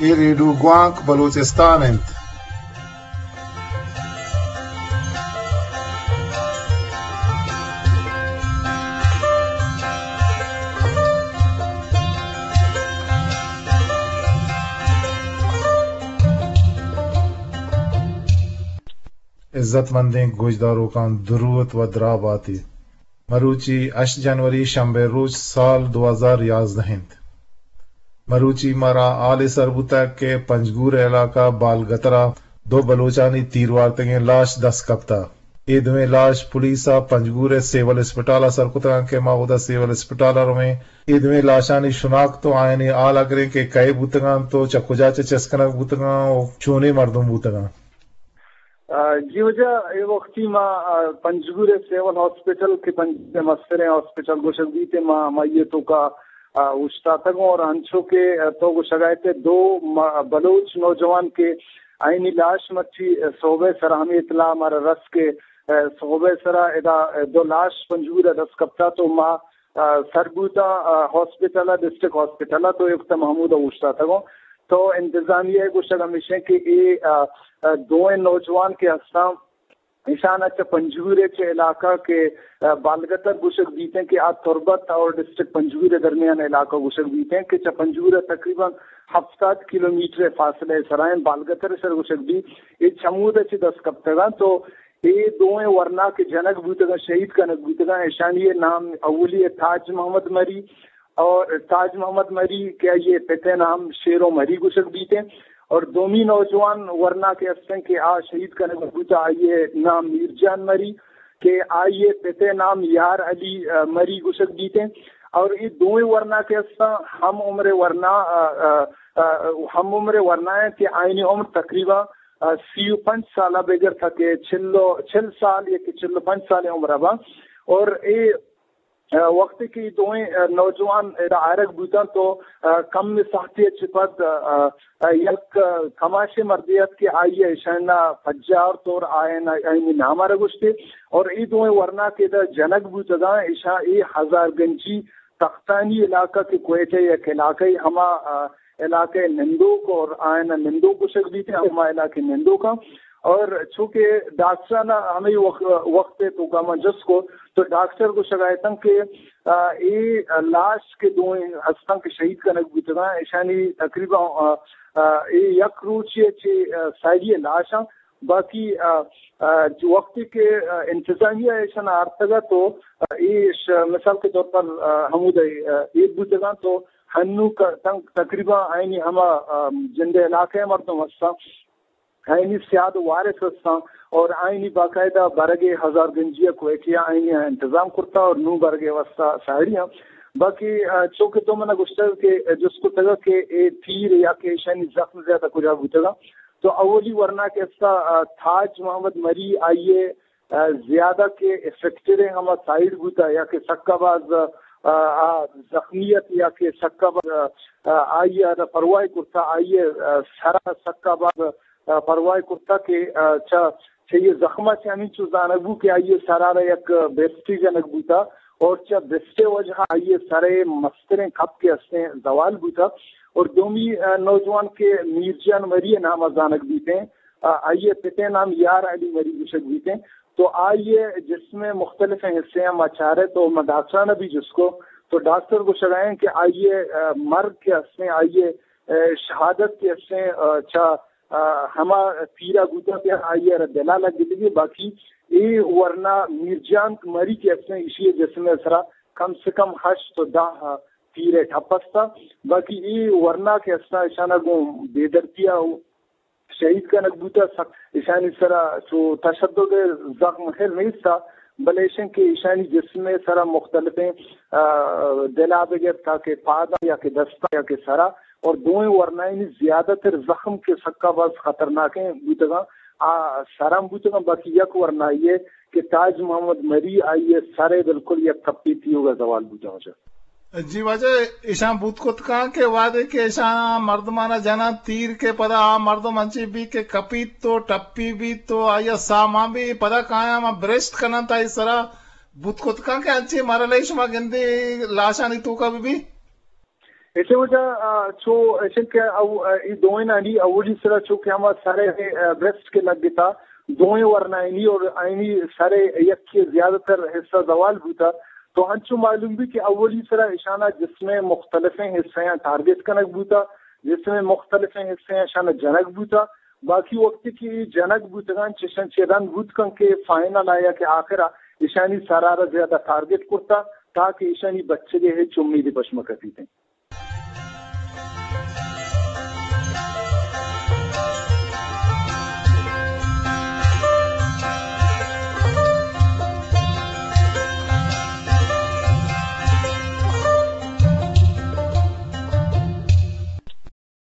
اے ریڈیو گوانک بلوچستان انت۔ عزت مندیں گوشداروکاں دروت و دراہ باتی۔ مروچی ہشت جنوری شنبے روچ سال دو ہزار یازدہ انت۔ مروچی مارا حالے سر بوتگ کہ پنجگور علاقہ بالگترا دو بلوچانی تیر وارتگیں لاش دست کپتہ۔ اے دوئیں لاش پولیس ء پنجگور ء سیول اسپتال ء سر کتگاں کہ ما اودا سیول اسپتال ء رویں۔ اے دوئیں لاشانی شناخت و آیانی حال ء گریں کہ کئے بوتگاں تو چہ کجا چہ چست کنگ بوتگاں و چونیں مردم بوتگاں۔ آ، جی واجہ، اے وقتی ما، آ، پنجگور ء سیول ہاسپٹل کہ پنجگور ء مستریں ہاسپٹل گوشگ بیت، ما، ما یہ توکا، آ، اوشتاتگوں اور انچو کہ، آ، تو گوشگ ء ات دو ما-، بلوچ نوجوان کہ آئینی لاش مرچی، آ، صحب ء سرا ہمیں اطلاع مارا رس کہ، آ، صحب ء سرا ادا، آ، دو لاش پنجگور ء دست کپتا تو ما آ، سر بوتاں، آ، ہاسپٹل ء، ڈسٹرکٹ ہاسپٹل ء، تو اے وقت ء ما ہمودا اوشتاتگوں۔ تو انتظامیہ ء گوشگ ہمیش انت کہ اے، آ، آ، دوئیں نوجوان کہ ہستاں، ایشان ء چہ پنجگور ء چہ علاقہ کہ، آ، بالگتر گوشگ بیت انت کہ آ تربت اور ڈسٹرکٹ پنجگور ء درمیان علاقہ گوشگ بیت انت کہ چہ پنجگور ء تقریباً ہفتاد کلومیٹر ء فاصلہ ء سرا انت، بالگتر ء سر گوشگ بیت۔ اے چمود ء چہ دست کپتگاں تو اے دوئیں ورنا کہ جنگ بوتگاں، شہید کنگ بوتگاں، ایشانی ء نام اولی ء تاج محمد مری اور تاج محمد مری کہ آئی ء پت ء نام شیرو مری گوشگ بیت انت اور دومی نوجوان ورنا کہ است انت کہ آ شہید کنگ بوتا، آئی ء نام میر جان مری کہ آئی ء پت ء نام یار علی، ا، مری گوشگ بیت انت اور اے دوئیں ورنا کہ استاں ہم عمر ورنا، ا، ا، ا، ہم عمر ورنا انت کہ آئینی عمر تقریباً سی و پنچ سال ء بگر تھا کہ چل و، چل سال یا کہ چل و پنچ سال عمر ء باں۔ اور اے، آ، وقتی کہ دوئیں، آ، نوجوان ادا آرگ بوتاں تو، آ، کم ساعتی چہ پد، آ، آ، یک، آ، کماشے مردے ات کہ آئی ء ایشان ء پجار طور آئین، آئینی نام ء را گوشتے اور اے دوئیں ورنا کہ ادا جنگ بوتگاں ایشاں اے ہزار گنجی تختانی علاقہ کہ کوئٹہ یک علاقہ ہما، آ، علاقہ نندوک اور آئین نندوک گوشگ بیت، ہما علاقہ نندوک ہم۔ اور چونکہ ڈاکٹرانا ہمے وق-، وقت ء توکا ما جست کو تو ڈاکٹر گوشگ ء اتن کہ، آ، اے لاش کہ دوئیں ہستن کہ شہید کنگ بوتگاں، ایشانی تقریباً، آ، آ، اے یک روچی ء چہ، آ، ساڑی ء لاش ہم باقی، آ، آ، جو وقتی کہ، آ، انتظامیہ ایشان آرتگ ات تو، آ، ایش مثال کے طور پر، آ، ہمود ء، آ، ایر بوتگاں تو ہنو ک-، تن-، تقریباً آئینی ہما، آ، جند علاقہ مردم ہستاں، آئینی سیاد وارث ہستاں اور آئینی باقاعدہ برگ ہزار گنجی کوئٹہ آئینی انتظام کرتا اور نو برگ واسطہ ساڑی ہم۔ باقی، آ، چونکہ تو منا گوشتگ کہ جست کتگ کہ اے تیر یا کہ ایشانی زخم زیادہ کجا بوتگا۔ تو اولی ورنا کہ استا، آ، تاج محمد مری آئیے، آ، زیادہ کہ افیکٹڈ ہیں ہما سائیڈ بوتا یا کہ سکا باز، آ، آ، زخمیت یا کہ سکا باز، آ، آ، آئی ء را پرواہ کرتا، آئی ء، آ، سرا سکا باز، آ، پرواہ کرتا کہ، آ، چا، چہ یہ زخمہ چہ ہمینچو زانگ بو کہ آئی ء سرا را یک بیسٹی جنگ بوتا اور چہ بیسٹے وجہ آئی ء سرے مستریں کپ کے استیں زوال بوتا۔ اور دومی، آ، نوجوان کہ میر جان مری ء نام ء زانگ بیتیں، آ، آئی ء پتیں نام یار علی مری گوشگ بیتیں۔ تو آئی ء جسم ء مختلف حصے ء ما چارے تو ما ڈاکٹران ء بھی جست کو تو ڈاکٹر گوشگ ء کہ آئی ء، آ، مرگ کہ استیں، آئی ء، آ، شہادت کہ استیں، آ، چا، آ، ہما تیرا بوتا کہ آئی ء را دلا لگ گی، باقی اے ورنا میر جان مری کہ استیں، ایشی ء جسم ء سرا کم سے کم ہشت و دہ تیر ء ٹپ استا، باقی اے ورنا کہ استا اشانا گوں بے دردیا شہید کنگ بوتہ، سک ایشانی سرا چو تشدد ء زخم خیر نیست، بلے ایشن کہ ایشانی جسم ء سرا مختلفیں، آ، دلا بگر تاکہ پادا یا کہ دستا یا کہ سرا اور دوئیں ورنائنی زیادہ تر زخم کہ سکا باز خطرناکیں بوتگاں، آ سرم بوتگاں، باقی یک ورنائی ء کہ تاج محمد مری آئی ء سر ء بالکل یک کپی تیوگا زوال بوتگاں۔ جی واجہ، ایشاں بوت کت کن کہ وہدے کہ ایشاں مردمانا جناں تیر کہ پدا آ مردم انچیں بیت کہ کپیت تو ٹپی بیت تو آئی ء ساہ مان بیت، پدا کایاں ما برشت کننت آئی سرا، بوت کت کن کہ انچیں مرحلہ شما گندے لاشانی توکا بہ بیت؟ ایشی وجہ، آ، چو ایشن کہ او، آ، ای دوئینانی اولی سرا چو کہ ہما سر، آ، بریسٹ کہ لگتا، دوئیں ورنائنی اور آئینی سر یک زیادہ تر حصہ زوال بوتا۔ تو ہنچو معلوم بی کہ اولی سرا اشانا جسم مختلفیں حصہ ٹارگٹ کنگ بوتا، جسم مختلفیں حصہ اشانا جنگ بوتا۔ باقی وقت کہ ای جنگ بوتگان چشن چہ رند بوت کن کہ فائنل آیا کہ آخرا اشانی سرارا زیادہ ٹارگٹ کرتا تاکہ اشانی بچگے ہچ امیدی پشمہ کپیتیں۔